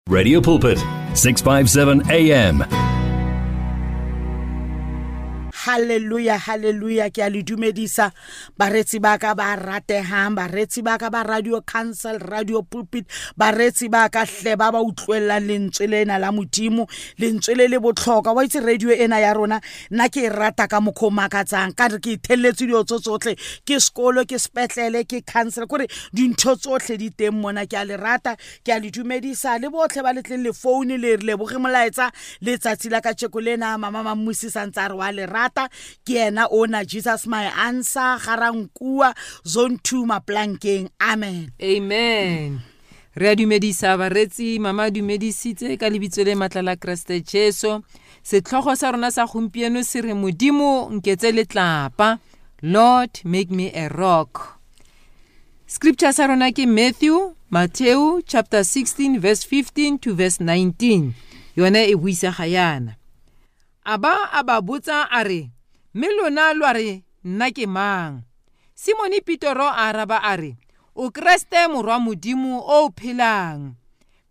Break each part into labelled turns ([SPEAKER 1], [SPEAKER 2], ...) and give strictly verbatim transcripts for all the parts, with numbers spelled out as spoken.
[SPEAKER 1] Radio Pulpit, six five seven A M.
[SPEAKER 2] Hallelujah, hallelujah. Ke a le dumedisa baretsi ba ka ba ratehang, baretsi ba ka ba Radio Council, Radio Pulpit, baretsi ba ka hle ba ba utlwellang lentswe lena la Modimo, lentswe le le botlhokwa. Wa itse radio ena ya rona nna ke e rata ka mokgwa o makatsang, ka re ke ithelletse dilo tso tsotlhe, ke sekolo, ke sepetlele, ke council, kore dintho tsotlhe di teng mona. Ke a le rata, ke a le dumedisa le botlhe ba le tleng le phone le re leboge molaetsa letsatsi la kajeko lena. Mama Mammusi santse a re wa le rata, ke yena ona Jesus my answer, Garankua zone two Maplankeng. Amen.
[SPEAKER 3] Amen. Re a dumedisa baretsi, mama dumedisitse ka lebitso le matla la Kreste Jesu. Setlhogo sa rona sa gompieno se re Modimo nketse letlapa, Lord make me a rock. Scripture sa rona ke Matthew, Matthew chapter sixteen verse fifteen to verse nineteen. Yone e buisa ga yana. A ba a ba botsa a re, mme lona lwa re nna ke mang? Simone Petro a araba a re, o Kreste morwa Modimo o phelang.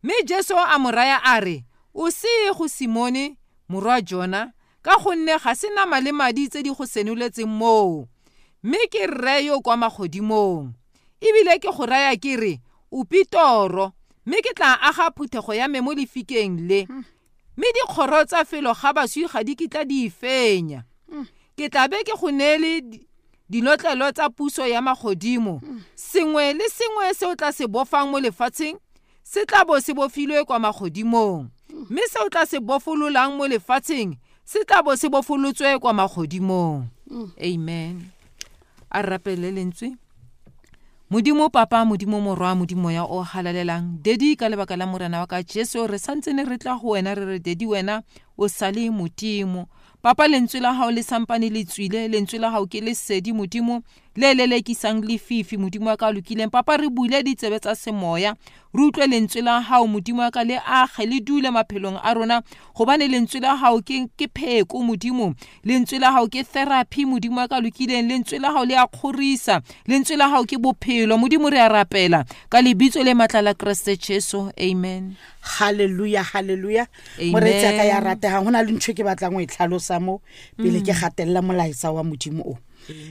[SPEAKER 3] Mme Jesu a mo raya a re, o se go Simone morwa Jona, ka gonne ga se nama le madi tse di go senoletseng moo, mme ke rre yo kwa magodimong. Ebile ke go raya ke re, o Petro, mme ke tla aga phuthego ya me mo lefikeng le. Mme dikgoro tsa felo ga baswi ga di kitla di e fenya. Ke tla be ke go neele dilotlelo tsa puso ya magodimo. Sengwe le sengwe se o tla se bofang mo lefatsheng se tla bo se bofilwe kwa magodimong, mme se o tla se bofololang mo lefatsheng se tla bo se bofolotswe kwa magodimong. Amen. A rapele lentswe. Modimo Papa, Modimo Morwa, Modimo ya o halalelang, Dedi ka lebaka la Morena wa ka Jesu, re santse ne re tla ho wena, re re Dedi wena o sale Modimo. Papa, lentswe la hao le sampane le tswile, lentswe la hao ke lesedi Modimo le lelekisang lefifi, Modimo wa ka lokileng. Papa, re bule ditsebe tsa semoya, re utlwe lentswe la hao Modimo wa ka, le age le dule maphelong a rona, gobane lentswe la hao ke ke pheko Modimo, lentswe la hao ke therapy Modimo wa ka lokileng, lentswe la hao le a kgorisa, lentswe la hao ke bophelo Modimo. Re a rapela ka lebitso le matla la Kreste Jesu. Amen.
[SPEAKER 2] Hallelujah, hallelujah. Moretsi ka ya ratehang, hona le ntho ke batlang ho e tlhalosa mo pele ke gatella molaetsa wa Modimo o.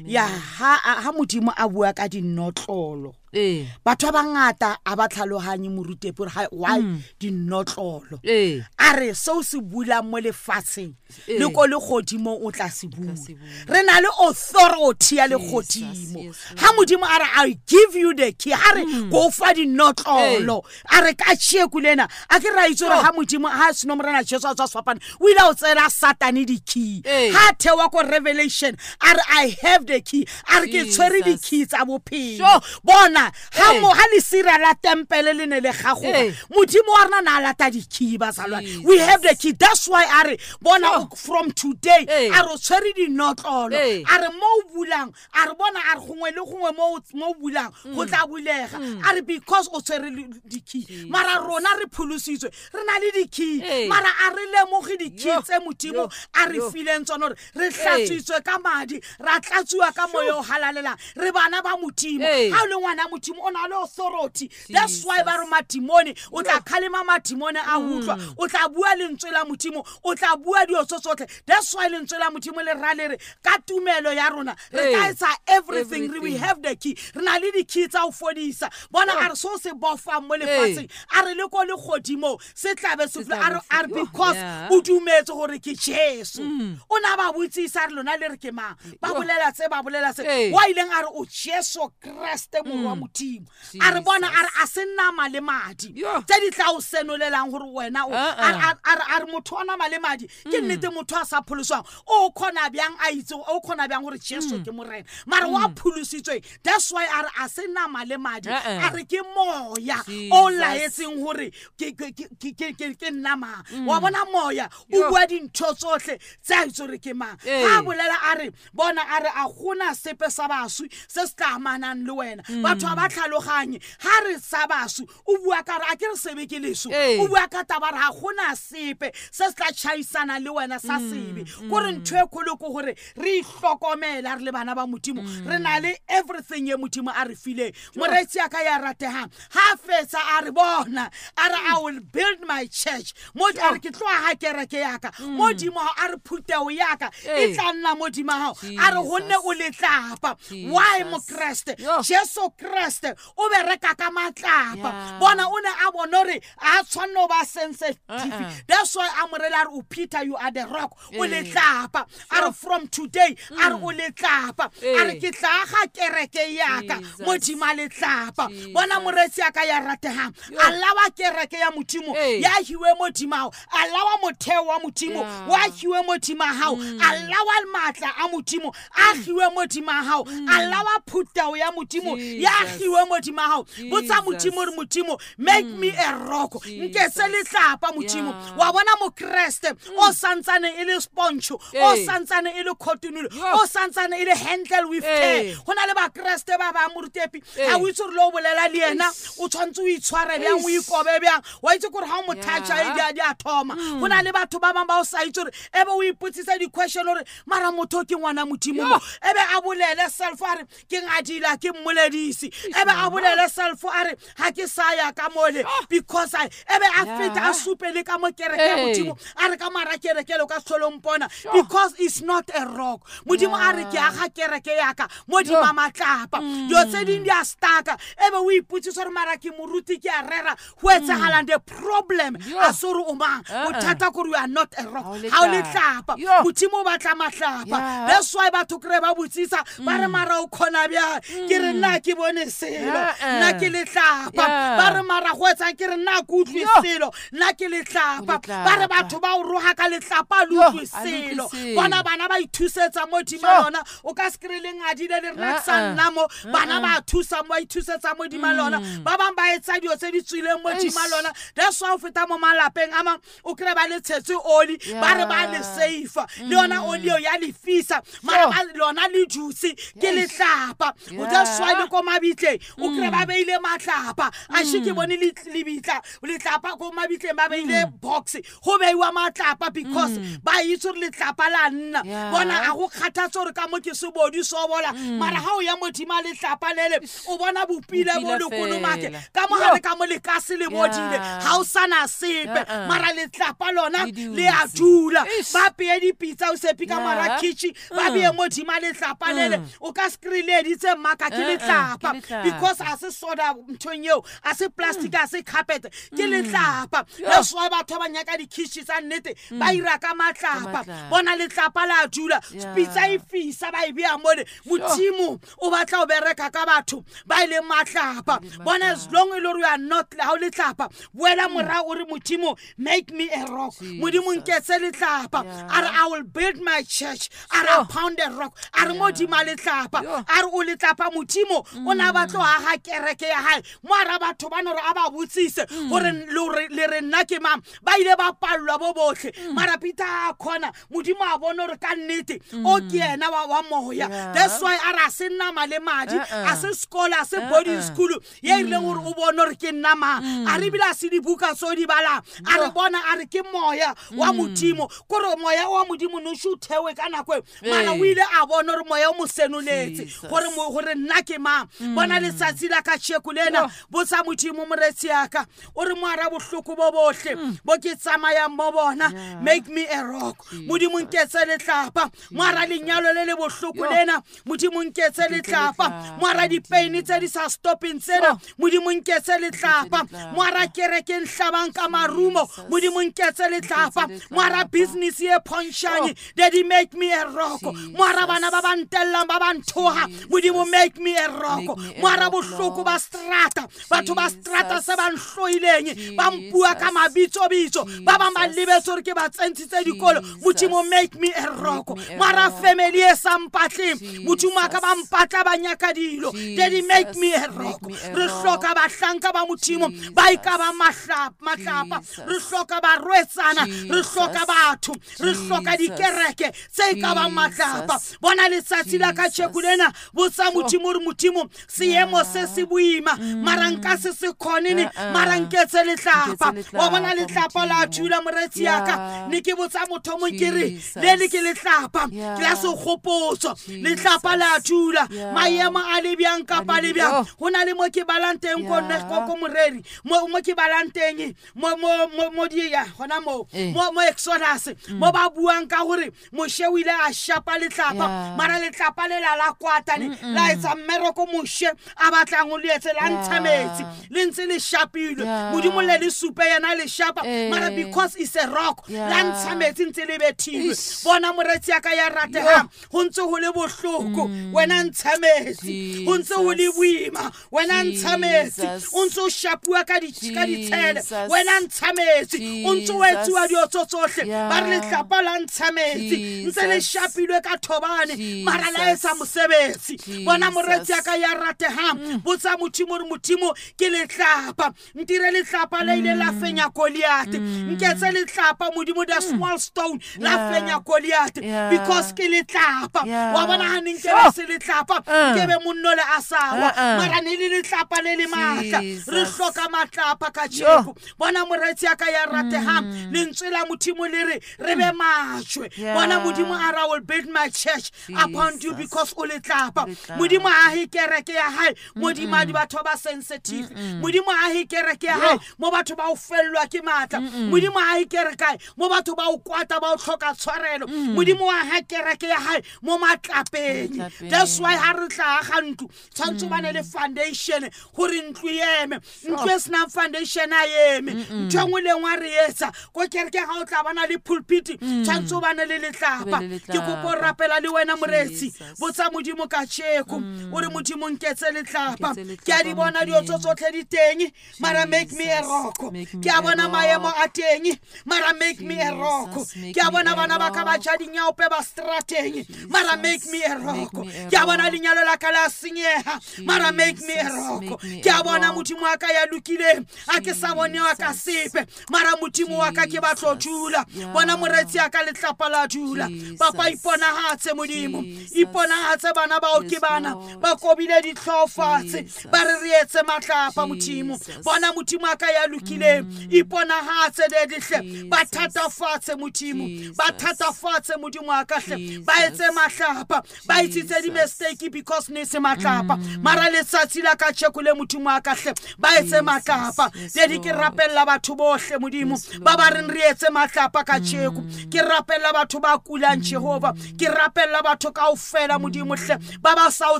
[SPEAKER 2] Ya ha ha Modimo a bua ka dinotlolo,
[SPEAKER 3] eh
[SPEAKER 2] batho ba bangata a ba tlhalohanye morutepo hore why dinotlolo.
[SPEAKER 3] Eh
[SPEAKER 2] a re seo se bulang mo lefatsheng
[SPEAKER 3] Eh.
[SPEAKER 2] le ko le godimo o tla se bula.
[SPEAKER 3] se bula.
[SPEAKER 2] Re na le authority ya legodimo.
[SPEAKER 3] Yes,
[SPEAKER 2] Ha Modimo a re I give you the key, ha re go fa dinotlolo, a re ka tšeku lena a ke ra itse gore ha Modimo ha seno Morena Jesu a tswa sefapano, o ile a o tsela Satane di-key.
[SPEAKER 3] Eh.
[SPEAKER 2] Ha thewa ko Revelation a re I have the key, a re ke tshwere
[SPEAKER 3] Jesus.
[SPEAKER 2] di-key tsa bophelo.
[SPEAKER 3] Sure.
[SPEAKER 2] Bona ha
[SPEAKER 3] Eh.
[SPEAKER 2] mo ha lesira la tempele le ne le gagoga,
[SPEAKER 3] Eh.
[SPEAKER 2] Modimo wa rena na lata di-key bazalwane. We have the key. That's why a re bona
[SPEAKER 3] Sure.
[SPEAKER 2] from today
[SPEAKER 3] Eh.
[SPEAKER 2] a re o tshwere dinotlolo,
[SPEAKER 3] Eh.
[SPEAKER 2] a re mo o bulang, a re bona a re gongwe le gongwe mo o- mo o bulang go tla bulega, a re because o tshwere le- di-key. Mara rona re pholositswe, re na le di-key,
[SPEAKER 3] Eh.
[SPEAKER 2] mara a re lemoge di-key
[SPEAKER 3] Yo,
[SPEAKER 2] tse Modimo
[SPEAKER 3] yo,
[SPEAKER 2] a re
[SPEAKER 3] yo.
[SPEAKER 2] fileng tsona, gore re hlatswitswe ka madi, ra tlatsiwa ka moya o halalelang, re bana ba Modimo.
[SPEAKER 3] Eh.
[SPEAKER 2] Ha o le ngwana Modimo o na le authority. That's why ba re madimone, o tla kgalema madimone a utlwa, o tla bua lentswe la Modimo, o tla bua dilo tso tsotlhe. That's why lentswe la Modimo le ra le re ka tumelo ya rona re ka
[SPEAKER 3] Eh.
[SPEAKER 2] etsa everything. We
[SPEAKER 3] Everything.
[SPEAKER 2] have the key, re na le di-key tsa ho fodisa. Bona a re so se bofang mo lefatsheng, a re le ko legodimo se tlabe se
[SPEAKER 3] Se tla
[SPEAKER 2] a re-
[SPEAKER 3] bo
[SPEAKER 2] a re
[SPEAKER 3] se-
[SPEAKER 2] because
[SPEAKER 3] Yeah.
[SPEAKER 2] o dumetse gore ke Jesu. O na ba botsisa a re lona le re ke mang, ba
[SPEAKER 3] Yo.
[SPEAKER 2] bolela se ba bolela se,
[SPEAKER 3] Eh.
[SPEAKER 2] wa ileng a re o Jesu Kreste morwa Modimo. A re bona a re a se nama le madi
[SPEAKER 3] Yo.
[SPEAKER 2] tse di tla o senolelang gore wena o
[SPEAKER 3] Uh-uh.
[SPEAKER 2] a re- a re a re motho wa nama le madi ke nnete motho a sa pholoswang o kgona bjang a itse o kgona bjang gore Jesu ke Morena, mara wa pholositsweng. That's why a re a se nama le madi,
[SPEAKER 3] Uh-uh.
[SPEAKER 2] a re ke moya o
[SPEAKER 3] Jesus.
[SPEAKER 2] laetseng gore ke ke ke ke ke ke nna mang. Wa bona moya o
[SPEAKER 3] Yo.
[SPEAKER 2] bua dintho tsotlhe tse a itse gore ke mang.
[SPEAKER 3] Eh.
[SPEAKER 2] Ha bolela a re bona a re a gona sepe sa baswi se se tla amanang le wena. Batho Batho ba tlhaloganye ha re sa basu o bua ka re a ke re sebe ke leso o bua ka taba re ha gona sepe se se tla tšhaisana le wena sa sebe kore ntho e kgolo ke gore re ihlokomela re le bana ba Modimo re na le everything ye Modimo a re fileng moretsi ya ka ya ratehang ha fetsa a re bona a re I will build my church mo a re ke tlo aha kereke ya ka Modimo a re phuteo ya ka e tla nna Modimo ha a re gonne o letlapa why mo Kreste Jesu Kreste o bereka ka matlapa bona o ne a bona re a tshwanno ba sensitive that's why a morela re o Peter you are the rock o letlapa a re from today a re o letlapa a re ke tla aga kereke ya ka Modimo a letlapa bona moretsi ya ka ya ratehang alawa kereke ya Modimo ya hiwe Modimo alawa motheo wa Modimo wa hiwe Modimo hao alawa matla a Modimo a hiwe Modimo hao alawa phutao ya Modimo ya hiwe Modimo hao botsa Modimo re Modimo make me a rock nke se letlapa Modimo wa bona mo Kreste o santsane e le sponge o santsane e le cotton o santsane e le handle with care hona le ba Kreste ba ba morutepi ha o itse re lo bolela le yena o tshwantse o itshware bjang o ikobe bjang wa itse gore ha o mothatcha e di a di a thoma hona le batho ba bang ba o sa itse gore ebe o ipotsisa di question hore mara motho ke ngwana Modimo mo ebe a bolele self a re ke ngadila ke mmoledisi ebe a bolele self a re ha ke sa ya ka mole because I ebe a feta a supele ka mo kereke ya Modimo a re ka mara kereke lo ka tlholompona because it's not a rock Modimo a re ke aga kereke ya ka Modimo matlapa dilo tse ding di a staka ebe o ipotsisa gore mara ke moruti ke a rera ho etsahalang the problem a sore o mang bothata gore you are not a rock ha o letlapa Modimo o batla matlapa that's why batho kre ba botsisa ba re mara o khona bjang ke re nna ke bone selo nna ke letlapa ba re mara go etsang ke re nna ke utlwe selo nna ke letlapa ba re batho ba o roha ka letlapa le utlwe selo bona bana ba ithusetsa Modimo lona o ka se kry le ngadile le rena sa nna mo bana ba thusa mo ba ithusetsa Modimo lona ba bang ba etsa dilo tse di tswileng Modimo lona that's why o feta mo malapeng a mang o kry ba le tshetse oli ba re ba le safe le yona oli eo ya lefisa mara ba lona le juice ke letlapa o that's why le ko mabitleng o kry ba beile matlapa a she ke bone le lebitla letlapa ko mabitleng ba beile box go beiwa matlapa because ba itse gore letlapa la nna bona a go kgathatse gore ka mo ke sebodi so bola mara ha o ya Modimo letlapa lele o bona bopile bo le kolomake ka mo gare ka mo lekase le bodile ha o sana sepe mara letlapa lona le a dula ba peye dipitsa o sepi ka mara kitchen ba beye Modimo letlapa lele o ka skreleditse mmaka ke letlapa because a se soda nthong eo a se plastic a se carpet ke letlapa that's why batho ba nyaka di-kitchen tsa nnete ba ira ka matlapa bona letlapa la dula pitsa e fisa ba e beya mole Modimo o batla o bereka ka batho ba ile matlapa bona as long e le gore you are not ha o letlapa boela morao o re Modimo make me a rock Modimo nketse letlapa a re I will build my church a re pound a rock a re Modimo letlapa a re o letlapa Modimo o na batlo aga kereke ya hae mo ara batho ba no re a ba botsise gore le re nna ke mang ba ile ba pallwa bo botlhe mara Peter a khona Modimo a bona gore ka nnete o ke yena wa wa moya that's why a re a se nama le madi a se sekolo a se boarding school ye ileng gore o bone gore ke nna mang a re bile a se dibuka tso di balang a re bona a re ke moya wa Modimo kore moya wa Modimo no se o thewe ka nako eo mara o ile a bona gore moya o mo senoletse gore gore nna ke mang bona letsatsi la ka tšheko lena botsa Modimo moretsi ya ka o re moara bohloko bo bohle bo ke tsamayang mo bona make me a rock Modimo nketse letlapa moara lenyalo le le bohloko lena Modimo nketse letlapa moara dipain tse di sa stopping tsena Modimo nketse letlapa moara kereke nhlabang ka marumo Modimo nketse letlapa moara business ye phonshane daddy make me a rock moara bana ba ba ntellang ba ba nthoha Modimo make me a rock moara bohloko ba strata batho ba strata se ba nhloileng ba mpua ka mabitso bitso ba bang ba lebetse gore ke ba tsentshitse dikolo Modimo make me a rock moara family e sa mpatleng Modimo a ka ba mpatla ba nyaka dilo daddy make me a rock re hloka bahlanka ba Modimo ba e ka ba matlapa re hloka barwetsana re hloka batho re hloka dikereke tse e ka bang matlapa bona letsatsi la ka tšheko lena botsa Modimo re Modimo Seemo se se boima mara nka se se khone mara nketse letlapa. Wa bona letlapa la thula moretsi ya ka ne ke botsa motho mo ke re le le ke letlapa ke la segopotso letlapa la thula maemo a le byang kapa le byang. Ho na le mo ke balang teng ko ne ko moreri mo mo ke balang teng mo mo mo di ya hona mo mo mo Exodus mo ba buang ka hore Moshe o ile a shapa letlapa mara letlapa le la la kwata ne la etsa mmereko Moshe a batlang o le etse la ntsha metsi le ntse le shapilwe Modimo le le supe yena le shapa mara because it's a rock la ntsha metsi ntse le bethilwe. Bona moretsi ya ka ya ratehang ho ntse ho le bohloko wena ntsha metsi, ho ntse ho le boima wena ntsha metsi, o ntse o shapuwa ka di ka ditshele wena ntsha metsi, o ntse o etsuwa diotso tsohle ba re letlapa la ntsha metsi ntse le shapilwe ka thobane mara la etsa mosebetsi. Bona moretsi ya ka ya ratehang botsa Modimo re Modimo ke letlapa ntire letlapa le ile la fenya Goliath nketse letlapa Modimo the small stone la fenya Goliath because ke letlapa. Wa bona ha neng ke se letlapa ke be monno le asawa mara ne le letlapa le le matla. Re hloka matlapa ka tsheko. Bona moretsi ya ka ya ratehang lentswe la Modimo le re re be majwe. Bona Modimo a ra will build my church upon you because o letlapa. Modimo a he kereke ya hae Modimo a di batho ba sensitive. Modimo a he kereke ya hae mo batho ba o fellwa ke matla. Modimo a he kereke mo batho ba o kwata ba o hloka tshwarelo. Modimo a ha kereke ya hae mo matlapeng. That's why ha re tla ga ntlo tshwantse ba ne le foundation hore ntlo eme. Ntlo e sena foundation a eme. Ntho engwe le engwe re etsa ko kereke ga o tla bana le pulpit tshwantse ba ne le letlapa. Ke kopo rapela le wena moretsi botsa Modimo ka tsheko o re Modimo nketse letlapa ke a di bona diotso tsotlhe di teng mara make me a rock. Ke a bona maemo a teng mara make me a rock. Ke a bona bana ba ka ba ja dinyaope ba strateng mara make me a rock. Ke a bona lenyalo la ka la senyeha mara make me a rock. Ke a bona Modimo wa ka ya lokileng a ke sa bone wa ka sepe mara Modimo wa ka ke batlo dula. Bona moretsi ya ka letlapa la dula. Papa iponahatse Modimo iponahatse bana bao ke bana ba kobile ditlhofatse ba re re etse matlapa Modimo. Bona Modimo wa ka ya lokileng iponahatse le dihle ba thatafatse Modimo ba thatafatse Modimo wa ka hle ba etse matlapa ba itsitse di mistake because ne se matlapa mara letsatsi la ka tsheko le Modimo wa ka hle ba etse matlapa. Dedi ke rapella batho bohle Modimo ba ba reng re etse matlapa ka tsheko. Ke rapella batho ba kulang Jehova. Ke rapella batho kaofela Modimo hle ba ba sa o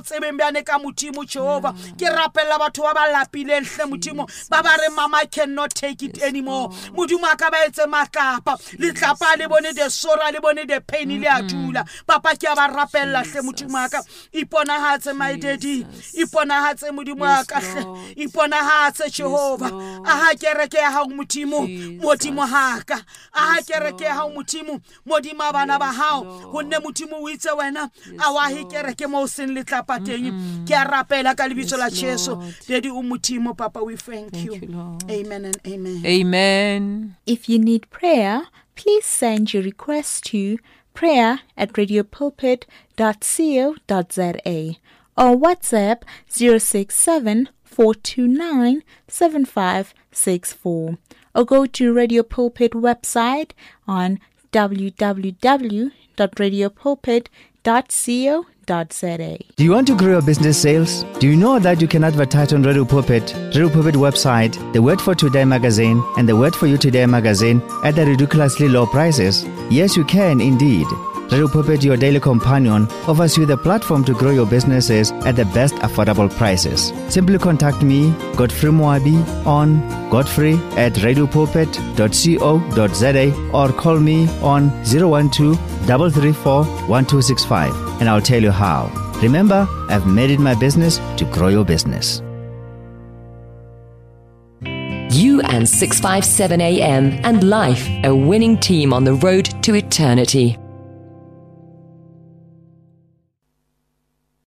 [SPEAKER 2] tsebeng bjane ka Modimo Jehova. Ke rapella batho ba ba lapileng hle Modimo ba ba re mama cannot take it anymore. Modimo a ka ba etse matlapa letlapa le bone the sorrow le bone the pain le a dula. Papa ke a ba rapella hle Modimo a ka iponahatse my daddy iponahatse Modimo a ka hle iponahatse Jehova. Aha kereke ya hao Modimo Modimo ha ka aha kereke ya hao Modimo Modimo bana ba hao honne Modimo o itse wena a wa he kereke mo seng letlapa teng. Ke a rapela ka lebitso la Jesu daddy o Modimo papa we thank you. Amen and amen.
[SPEAKER 3] Amen.
[SPEAKER 4] If you need prayer, please send your request to prayer at radio pulpit dot co dot za or WhatsApp zero six seven four two nine seven five six four or go to Radio Pulpit website on w w w dot radio pulpit dot co dot za.
[SPEAKER 5] Do you want to grow your business sales? Do you know that you can advertise on Radio Pulpit, Radio Pulpit website, the Word for Today magazine, and the Word for You Today magazine at the ridiculously low prices? Yes, you can indeed. Radio Pulpit, your daily companion, offers you the platform to grow your businesses at the best affordable prices. Simply contact me, Godfrey Moabi, on godfrey at radio pulpit dot co dot za or call me on zero one two, three three four, one two six five and I'll tell you how. Remember, I've made it my business to grow your business.
[SPEAKER 6] You and six five seven A M and life, a winning team on the road to eternity.